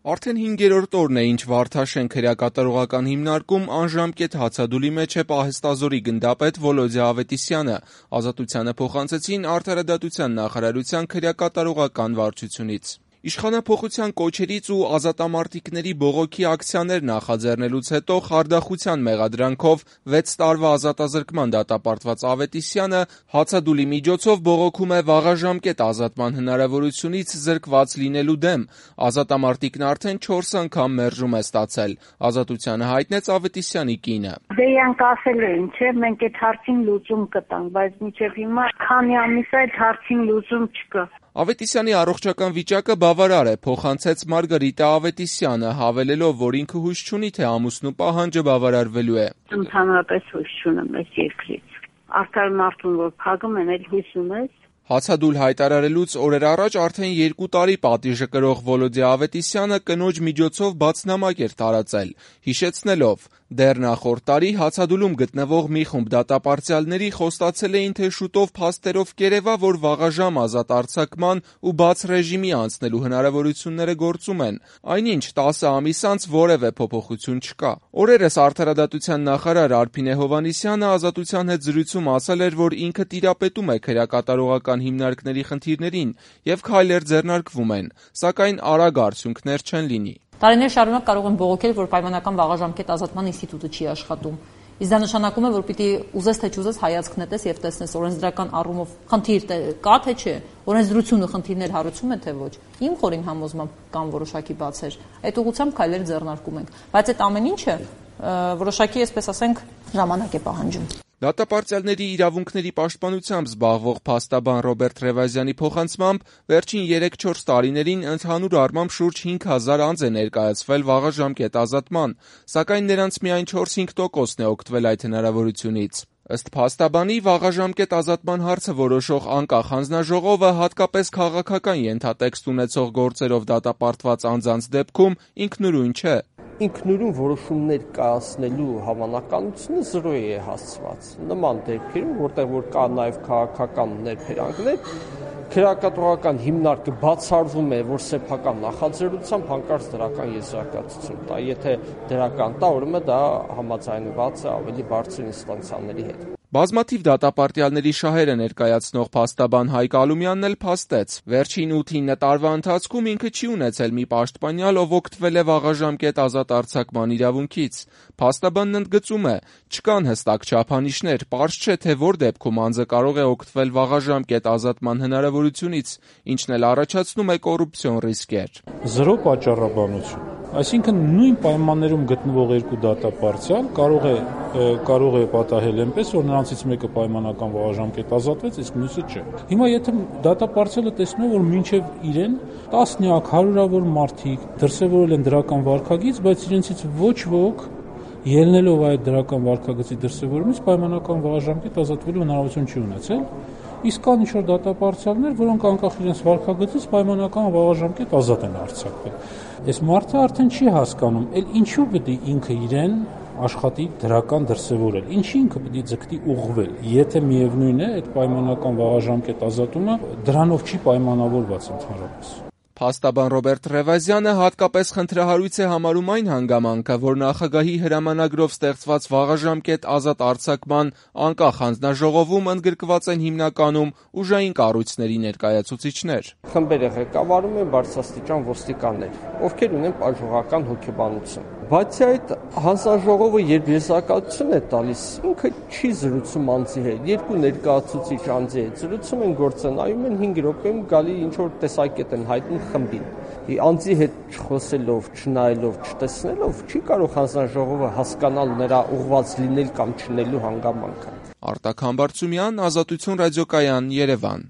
Արդեն 5-րդ օրն է, ինչ Վարդաշեն քրեակատարողական հիմնարկում անժամկետ հացադուլի մեջ է պահեստազորի գնդապետ Վոլոդյա Ավետիսյանը, Ազատությանը փոխանցեցին Արդարադատության նախարարության քրեակատարողական վարչությունից։ Իշխանափոխության կոչերից ու ազատամարտիկների բողոքի ակցիաներ նախաձեռնելուց հետո խարդախության մեղադրանքով 6 տարվա ազատազրկման դատապարտված Ավետիսյանը հացադուլի միջոցով բողոքում է վաղաժամկետ ազատման հնարավորությունից զրկված լինելու դեմ։ Ազատամարտիկն արդեն 4 անգամ մերժում է ստացել։ Ազատությանը հայտնեց Ավետիսյանի կինը։ Դե իրանք ասել էին, չէ, մենք այդ հարցին լուծում կտանք, բայց մինչև հիմա քանի ամիս այդ հարցին լուծում չկա։ Ավետիսյանի առողջական վիճակը բավարար է, փոխանցեց Մարգարիտա Ավետիսյանը, հավելելով, որ ինքը հույս չունի, թե ամուսնու պահանջը բավարարվելու է։ Ընդհանրապես հույս չունեմ այս երկրից։ Արդար մարդուն, որ փակում են, էլ հույս ունես։ Հացադուլ հայտարարելուց օրեր առաջ արդեն 2 տարի պատիժը կրող Վոլոդյա Ավետիսյանը կնոջ միջոցով բացնամակ էր տարածել, հիշեցնելով. դեռ նախորդ տարի հացադուլում գտնվող մի խումբ դատապարտյալների խոստացել էին, թե շուտով փաստերով կերևա, որ վաղաժամ ազատ արձակման ու բաց ռեժիմի անցնելու հնարավորությունները գործում են, այնինչ 10 ամիս անց որևէ փոփոխություն չկա։ Օրերս Արդարադատության նախարար Արփինե Հովհաննիսյանը Ազատության հետ զրույցում ասել էր, որ ինքը տիրապետում է քրեակատարողական հիմնարկների խնդիրներին եւ քայլեր ձեռնարկվում են, սակայն արագ արդյունքներ չեն լինի։ Տարիներ շարունակ կարող են բողոքել, որ պայմանական վաղաժամկետ ազատման ինստիտուտը չի աշխատում։ Իսկ դա նշանակում է, որ պիտի ուզես թե չուզես հայացք նետես եւ տեսնես օրենսդրական առումով խնդիր կա թե չէ, օրենսդրությունը խնդիրներ հարուցում է թե ոչ։ Իմ խորին համոզմամբ կան որոշակի բացեր։ Այդ ուղղությամբ քայլեր ձեռնարկում ենք, բայց այդ ամեն ինչը որոշակի, այսպես ասենք, ժամանակ է պահանջում։ Դատապարտյալների իրավունքների պաշտպանությամբ զբաղվող փաստաբան Ռոբերտ Ռևազյանի փոխանցմամբ վերջին 3-4 տարիներին ընդհանուր առմամբ շուրջ 5000 անձ է ներկայացվել վաղաժամկետ ազատման, սակայն նրանց միայն 4-5%-ն է օգտվել այդ հնարավորությունից։ Ըստ փաստաբանի, վաղաժամկետ ազատման հարցը որոշող անկախ հանձնաժողովը հատկապես քաղաքական ենթատեքստ ունեցող գործերով դատապարտված անձանց դեպքում ինքնուրույն չէ։ Ինքնուրույն որոշումներ կայացնելու հավանականությունը 0 է հասցված։ Նման դեպքերում, որտեղ որ կա նաև քաղաքական ներբերանքներ, քրեակատարողական հիմնարկը բացառվում է, որ սեփական նախաձեռնությամբ հանկարծ դրական եզրակացություն տա։ Եթե դրական տա, ուրեմն դա համաձայնված է ավելի բարձր ինստանցիաների հետ։ Բազմաթիվ դատապարտյալների շահերը ներկայացնող փաստաբան Հայկ Ալումյանն էլ փաստեց. վերջին 8-9 տարվա ընթացքում ինքը չի ունեցել մի պաշտպանյալ, ով օգտվել է վաղաժամկետ ազատ արձակման իրավունքից։ Փաստաբանն ընդգծում է. չկան հստակ չափանիշներ, պարզ չէ, թե որ դեպքում անձը կարող է օգտվել վաղաժամկետ ազատման հնարավորությունից, ինչն էլ առաջացնում է կոռուպցիոն ռիսկեր։ 0 պատճառաբանություն։ Այսինքն նույն պայմաններում գտնվող երկու դատապարտյալ կարող է պատահել այնպես, որ նրանցից մեկը պայմանական վաղաժամկետ ազատվեց, իսկ մյուսը չէ։ Հիմա եթե դատապարտյալը տեսնում է, որ մինչև իրեն տասնյակ, հարյուրավոր մարդիկ դրսևորել են դրական վարքագիծ, բայց իրենցից ոչ ոք ելնելով այդ դրական վարքագծի դրսևորումից պայմանական վաղաժամկետ ազատվելու հնարավորություն չի ունեցել, իսկ կան ինչ-որ դատապարտյալներ, որոնք անկախ իրենց վարքագծից պայմանական վաղաժամկետ ազատ են արձակվել։ Այս մարդը արդեն չի հասկանում, ինչու պետք է ինքը իրեն աշխատի դրական դրսևորել, ինչի ինքը պետք է ձգտի ուղղվել, եթե միևնույն է այդ պայմանական վաղաժամկետ ազատումը դրանով չի պայմանավորված ընդհանրապես։ Փաստաբան Ռոբերտ Ռևազյանը հատկապես խնդրահարույց է համարում այն հանգամանքը, որ նախագահի հրամանագրով ստեղծված վաղաժամկետ ազատ արձակման անկախ հանձնաժողովում ընդգրկված են հիմնականում ուժային կառույցների ներկայացուցիչներ։ Խմբերը ղեկավարում են բարձրաստիճան ոստիկաններ, ովքեր ունեն պաշտոնական հոգեբանություն։ Բացի այդ, հանձնաժողովը երբ եզրակացություն է տալիս, ինքը չի զրուցում անձի հետ, երկու ներկայացուցիչ անձի հետ զրուցում են գործնայում են 5 րոպեում գալի ինչ-որ տեսակետ են հայտնում խմբին։ Անձի հետ չխոսելով, չնայելով, չտեսնելով չի կարող հանձնաժողովը հասկանալ նրա ուղղված լինել կամ չլինելու հանգամանքը։ Արտակ Համբարձումյան, Ազատություն ռադիոկայան, Երևան։